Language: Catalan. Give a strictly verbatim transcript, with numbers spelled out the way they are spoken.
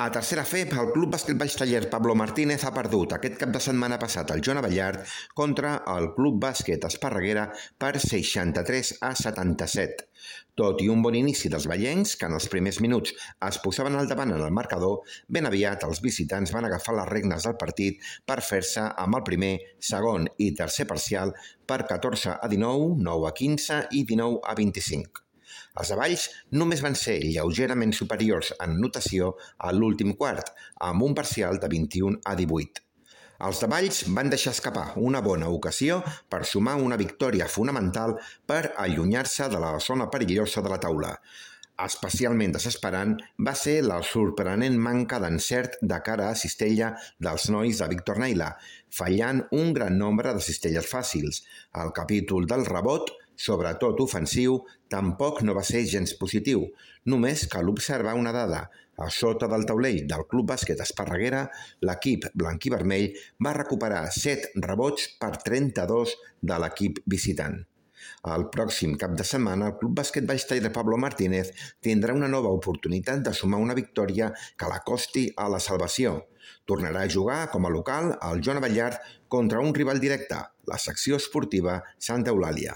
A tercera F E P, el Club Bàsquet Baix Taller Pablo Martínez ha perdut aquest cap de setmana passat al Joan Abellard contra el Club Bàsquet Esparreguera per seixanta-tres a setanta-set. Tot i un bon inici dels vallencs, que en els primers minuts es posaven al davant en el marcador, ben aviat els visitants van agafar les regnes del partit per fer-se amb el primer, segon i tercer parcial per catorze a dinou, nou a quinze i dinou a vint-i-cinc. Els de Valls només van ser lleugerament superiors en notació a l'últim quart, amb un parcial de vint-i-un a divuit. Els de Valls van deixar escapar una bona ocasió per sumar una victòria fonamental per allunyar-se de la zona perillosa de la taula. Especialment desesperant va ser la sorprenent manca d'encert de cara a cistella dels nois de Víctor Naila, fallant un gran nombre de cistelles fàcils. El capítol del rebot, sobretot ofensiu, tampoc no va ser gens positiu. Només cal observar una dada. A sota del taulell del Club Bàsquet Esparreguera, l'equip blanquivermell va recuperar set rebots per trenta-dos de l'equip visitant. El pròxim cap de setmana, el Club Bàsquet Baix Taller Pablo Martínez tindrà una nova oportunitat de sumar una victòria que l'acosti a la salvació. Tornarà a jugar com a local al Joan Abellard contra un rival directe, la secció esportiva Santa Eulàlia.